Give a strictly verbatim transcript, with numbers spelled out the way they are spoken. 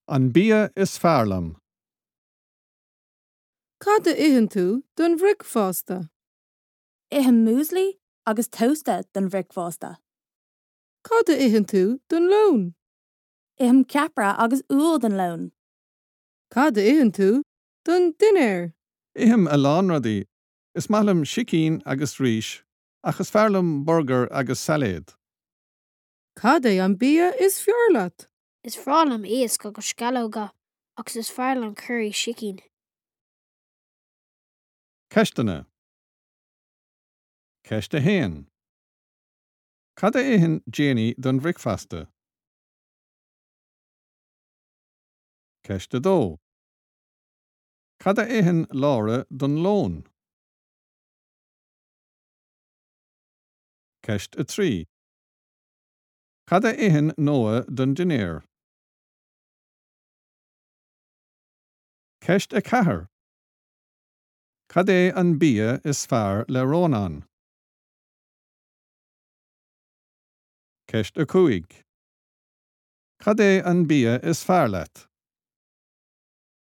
An bia is fearr liom. Cad a itheann tú don bhricfeasta? Ithim muesli agus tósta don bhricfeasta. Cad a itheann tú don lón? Ithim ceapaire agus úll don lón. Cad a itheann tú don dinnéar? Ithim a lán rudaí. Is maith liom sicín agus rís, ach is fearr liom burgar agus sailéad. Cad é an bia is fearr leat? Is breá liom iasc agus sceallóga agus is fearr liom curaí sicín. Ceisteanna. Ceist a haon. Cad a itheann Janie don bhricfeasta? Ceist a dó. Cad a itheann Laura don lón? Ceist a trí. Cad a itheann Noah don dinnéar? Ceist a ceathair. Cad é an bia is fearr le Rónán? Ceist a cúig. Cad é an bia is fearr leat?